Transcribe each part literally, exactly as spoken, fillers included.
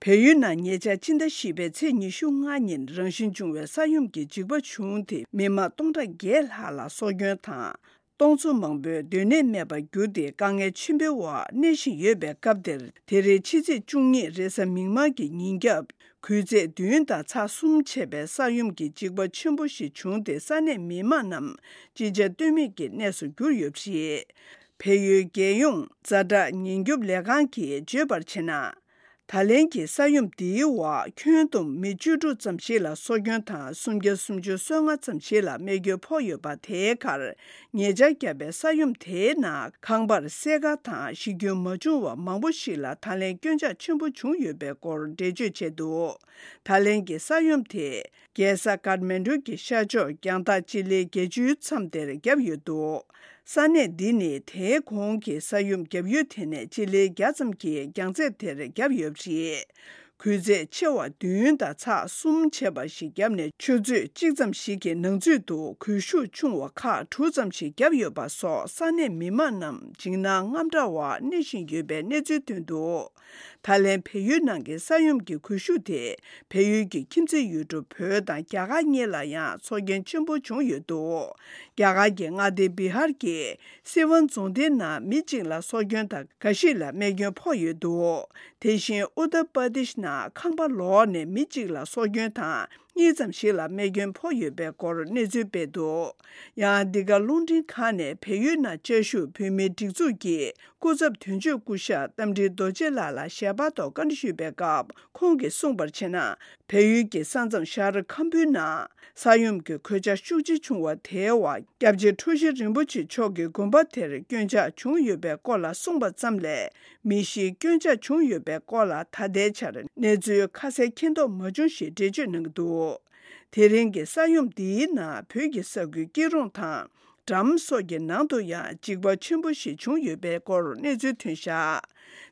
བལ་ཡུལ་ནང་ཉེ་ཆར་སྤྱི་ཟླ་བཞི་པའི་ཚེས་ཉི་ཤུ་ལྔ་ཉིན་རང་བཞིན་བྱུང་བའི་ས་ཡོམ་གྱི་འཇིགས་པ་བྱུང་སྟེ། མི་མང་སྟོང་ཕྲག་བརྒྱད་ལྷག་ལ་སྲོག་སྐྱོན་དང་། སྟོང་ཚོ་མང་པོས་སྡོད་གནས་མེད་པར་གྱུར་ཏེ། དཀའ་ངལ་ཆེན་པོའི་འོག་གནས་བཞིན་ཡོད་པའི་སྐབས་དེར། དེ་རིང་ཕྱི་ཚེས་བཅུ་གཉིས་རེས་གཟའ་མིག་དམར་གྱི་ཉིན་རྒྱབ། དགུན་ཚེས་བདུན་དང་ཚེས་གསུམ་བྱས་པའི་ས་ཡོམ་གྱི་འཇིགས་པ་ཆེན་པོ་ཞིག་བྱུང་སྟེ། ས་གནས་མི་མང་རྣམས་ཅི་བྱ་གཏོལ་མེད་ཀྱི་གནས་སུ་གྱུར་ཡོད་པ་རེད། བལ་ཡུལ་རྒྱལ་ཡོངས་ཛ་དྲག་ཉེན་སྐྱོབ་ལས་ཁང་གིས་བརྗོད་པར་བྱས་ན། ད་ལན་གྱི་ས་ཡོམ་འདིའི་འོག་ཁྱོན་བསྡོམས་མི་བཅུ་དྲུག་ཙམ་ཞིག་ལ་སྲོག་སྐྱོན་དང་། སུམ་བརྒྱ་སུམ་ཅུ་སོ་ལྔ་ཙམ་ཞིག་ལ་རྨས་སྐྱོན་ཕོག་ཡོད་པ། དེའི་ཁར་ཉེ་ཆར་བརྒྱབ་པའི་ས་ཡོམ་དེའི་ནང་ཁང་པར་སེར་ཁ་དང་གཞི་ཁྱོན་མ་བྱུང་བ་མང་པོ་ཞིག་ལ་ད་ལན་སྐྱོན་ཆག་ཆེན་པོ་བྱུང་ཡོད་པའི་སྐོར་འགྲེལ་བརྗོད་བྱས་འདུག་ད་ལན་གྱི་ས་ཡོམ་དེ་རྒྱལ་ས་ཀཱཐ་མན་ཌུ་གྱི་ཤར་ཕྱོགས་རྒྱང་ཐག་སྤྱི་ལེ་བརྒྱད་ཅུའི་མཚམས་དེར་བརྒྱབ་ཡོད་འདུག་ས་གནས་འདི་ནི་དེའི་གོང་གི་ས་ཡོམ་བརྒྱབ་ཡུལ་དེ་ནས་སྤྱི་ལེ་བརྒྱ་ཙམ་གྱི་རྒྱང་ཚད་དེར་བརྒྱབ་ཡོད་པ་རེད། དགུན་ཚེས་ཆེ་བ་བདུན་དང་ཚེས་གསུམ་བྱས་པ་ཞིག་བརྒྱབ་ནས། ཆུ་ཚོད་གཅིག་ཙམ་ཞིག་གི་ནང་ཚུད་དུ་གུས་ཤུགས་ཆུང་བ་ཁག་དྲུག་ཙམ་ཞིག་བརྒྱབ་ཡོད་པ་སོགས། ས་གནས་མི་མང་རྣམས་འཇིགས་སྣང་དངངས་སྐྲག་འོག་གནས་བཞིན་ཡོད་པའི་གནས་ཚུལ་ཐོན་འདུག་ད་ལན་བལ་ཡུལ་ནང་གི་ས་ཡོམ་གྱི་གུས་ཤུགས་དེ། བལ་ཡུལ་གྱི་ཁྱིམ་མཚེས་ཡུལ་གྲུ་བོད་དང་རྒྱ་གར་གཉིས་ལ་ཡང་སྲོག་སྐྱོན་ཆེན་པོ་བྱུང་ཡོད་འདུག་རྒྱ་གར་གྱི་མངའ་སྡེ་བི་ཧར་གྱི་སི་ཝན་རྫོང་སྡེའི་ནང་མི་གཅིག་ལ་སྲོག་སྐྱོན་དང་། འགའ་ཞིག་ལ་རྨས་སྐྱོན་ཕོག་ཡོད་འདུག་དེ་བཞིན་ཨུ་ཏར་པར་དེཤ་ནང་ཁང་པ་ལོག་ནས་མི་གཅིག་ལ་སྲོག་སྐྱོན་དང་། གཉིས་ཙམ་ཞིག་ལ་རྨས་སྐྱོན་ཕོག་ཡོད་པའི་སྐོར་གནས་ཚུལ་སྤེལ་འདུག་ཡང་འདི་ག་རླུང་འཕྲིན་ཁང་ནས་བལ་ཡུལ་ནང་བཅའ་བཞུགས་བོད་མིའི་སྒྲིག་འཛུགས་ཀྱི་སྐུ་ཚབ་དོན་གཅོད་སྐུ་ཞབས་རྟ་མགྲིན་རྡོ་རྗེ་ལགས་ལ་ཞལ་པར་ཐོག་བཀའ་འདྲི་ཞུས་པའི་སྐབས། ཁོང་གིས་གསུངས་པར་བྱས་ན། བལ་ཡུལ་གྱི་ས་མཚམས་ཤར་ཁམ་བུའི་ནང་ས་ཡོམ་གྱི་གོད་ཆག་ཤུགས་ཆེ་བྱུང་བ་དེའི་འོག་སྐྱབས་རྗེ་འཁྲུལ་ཞིག་རིན་པོ་ཆེ་མཆོག་གི་དགོན་པ་དེར་སྐྱོན་ཆག་བྱུང་ཡོད་པའི་སྐོར་ལ་གསུངས་པ་ཙམ་ལས། མི་ཤི་སྐྱོན་ཆག་བྱུང་ཡོད་པའི་སྐོར་ལ་ད་ལྟའི་ཆར་གནས་ཚུལ་ཁ་གསལ་མཁྱེན་རྟོགས་མ་བྱུང་ཞེས་འགྲེལ་བརྗོད་གནང་གི་འདུག་དེ་རིང་གི་ས་ཡོམ་འདིའི་ནང་བོད་ཀྱི་ས་ཁུལ་སྐྱིད་རོང་དང་འགྲམ་སོགས་ཀྱི་ནང་དུ་ཡང་འཇིགས་པ་ཆེན་པོ་ཞིག་བྱུང་ཡོད་པའི་སྐོར་གནས་ཚུལ་ཐོན་བཞག་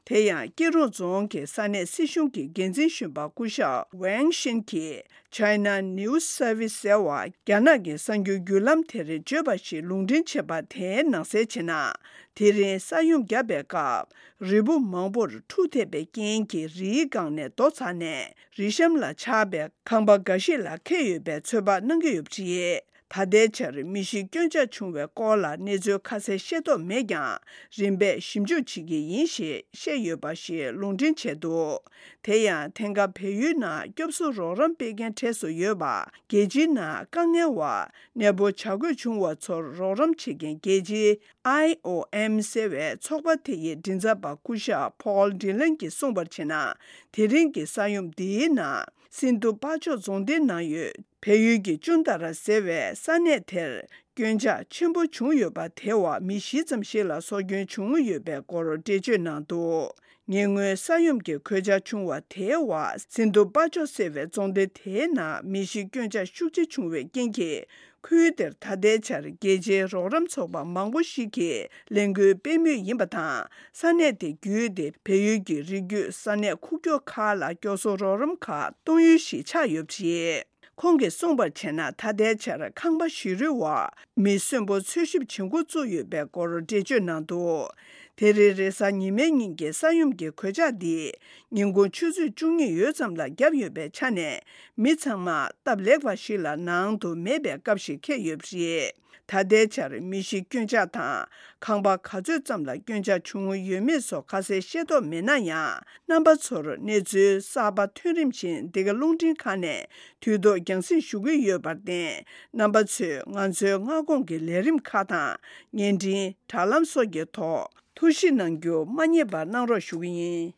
དེ་ཡང་སྐྱིད་རོང་རྫོང་གི་ས་གནས་སྲིད་གཞུང་གི་འགན་འཛིན་གཞོན་པ་སྐུ་ཞབས་ཝེང་ཤིན་གྱིས། China News Service ཟེར་བ་རྒྱ་ནག་གི་གསར་འགྱུར་བརྒྱུད་ལམ་དེར་བརྗོད་པ་ཞིག་ལུང་འདྲེན་བྱས་པ་དེའི་ནང་གསལ་བྱས་ན། དེ་རིང་ས་ཡོམ་བརྒྱབ་པའི་སྐབས། རི་བོ་མང་པོར་འཁྲུག་ཐེབས་པའི་རྐྱེན་གྱིས་རིའི་སྒང་ནས་རྡོ་ཚ་ནས་རི་གཤམ་ལ་ཆགས་པའི་ཁང་པ་འགའ་ཞིག་ལ་འཁེལ་ཡོད་པའི་ཚོད་དཔག་གནང་གི་ཡོད་པ་རེད། ད་ལྟའི་ཆར་མི་ཤི་སྐྱོན་ཆག་བྱུང་བའི་སྐོར་ལ་གནས་ཚུལ་ཁ་གསལ་ཤེས་རྟོགས་མེད་ཀྱང་། རིམ་པས་ཞིབ་འཇུག་བྱེད་ཀྱི་ཡིན་ཞེས་བཤད་ཡོད་པ་ཞིག་ལུང་འདྲེན་བྱས་འདུག་དེ་ཡང་ཐེངས་འགའ་བལ་ཡུལ་ནང་སྐྱོབ་གསོ་རོགས་རམ་སྤེལ་མཁན་གྲས་སུ་ཡོད་པ། རྒྱལ་སྤྱིའི་ནང་དཀའ་ངལ་བ་གནས་སྤོ་བྱ་དགོས་བྱུང་བ་ཚོར་རོགས་རམ་བྱེད་མཁན་རྒྱལ་སྤྱིའི་ཨའི་ཨོ་ཨེམ་ཟེར་བའི་ཚོགས་པ་དེ་ཡི་མགྲིན་ཚབ་པ་སྐུ་ཞབས་ཕོལ་ཌི་ལན་གྱིས་གསུངས་པར་བྱས་ན། དེ་རིང་གི་ས་ཡོམ་འདིའི་ནང་སིན་དྷུ་པ་ཅོག་རྫོང་སྡེའི་ནང་ཡོད། བལ་ཡུལ་གྱི་ཅུན་ཏ་ར་ཟེར་བའི་ས་གནས་དེར་སྐྱོན་ཆག་ཆེན་པོ་བྱུང་ཡོད་པ། དེའི་འོག་མི་བཞི་ཙམ་ཞིག་ལ་སྲོག་སྐྱོན་བྱུང་ཡོད་པའི་སྐོར་འགྲེལ་བརྗོད་གནང་འདུག་ཉེ་སྔོན་ས་ཡོམ་གྱི་གོད་ཆག་བྱུང་བ་དེའི་འོག་སིན་དྷུ་པ་ཅོག་ཟེར་བའི་རྫོང་སྡེ་དེའི་ནང་མི་བཞི་སྐྱོན་ཆག་ཤུགས་ཆེ་བྱུང་བའི་རྐྱེན་གྱིས། ཁུལ་དེར་ད་ལྟའི་ཆར་རྒྱལ་སྤྱིའི་རོགས་རམ་ཚོགས་པ་མང་པོ་ཞིག་གིས་ལས་འགུལ་སྤེལ་མུས་ཡིན་པ་དང་། ས་གནས་དེ་བརྒྱུད་དེ་བལ་ཡུལ་གྱི་རི་རྒྱུད་ས་གནས་ཁུག་ཀྱོག་ཁག་ལ་སྐྱོབ་གསོ་རོགས་རམ་ཁག་གཏོང་ཡུལ་ཞིག་ཆགས་ཡོད་པ་རེད། ཁོང་གིས་གསུངས་པར་བྱས་ན། ད་ལྟའི་ཆར་ཁང་པ་བཞི་རུའི་འོག་མི་གསོན་པོ་འཚོལ་ཞིབ་བྱེད་འགོ་བཙུགས་ཡོད་པའི་སྐོར་འགྲེལ་བརྗོད་གནང་འདུག་དེ་རིང་རེས་གཟའ་ཉི་མའི་ཉིན་གྱི་ས་ཡོམ་གྱི་གོད་ཆག་འདི་ཉིན་གུང་ཆུ་ཚོད་བཅུ་གཉིས་ཡོལ་ཙམ་ལ་བརྒྱབ་ཡོད་པའི་ཆ་ནས། མི་ཚང་མ་སྟབས་ལེགས་པ་ཞིག་ལ་ནང་དུ་མེད་པའི་སྐབས་ཤིག་འཁེལ་ཡོད་པ་རེད། ད་ལྟའི་ཆར་མི་ཤི་སྐྱོན་ཆག་དང་ཁང་པ་ག་ཚོད་ཙམ་ལ་སྐྱོན་ཆག་བྱུང་ཡོད་མེད་སོགས་ཁ་གསལ་ཤེས་རྟོགས་མེད་ན་ཡང་། རྣམ་པ་ཚོར་གནས་ཚུལ་གསར་པ་ཐོན་རིམ་བཞིན་འདི་ག་རླུང་འཕྲིན་ཁང་ནས་དུས་ཐོག་རྒྱང་སྲིང་ཞུ་གི་ཡོད་པར་བརྟེན། རྣམ་པ་ཚོས་ང་ཚོའི་སྔ་དགོང་གི་ལས་རིམ་ཁག་དང་བརྙན་འཕྲིན་དྲ་ལམ་སོགས་ཀྱི་ཐོག་ཐུགས་ཞིབ་གནང་རྒྱུ་མ་བསྙེལ་བར་གནང་རོགས་ཞུ་གི་ཡིན།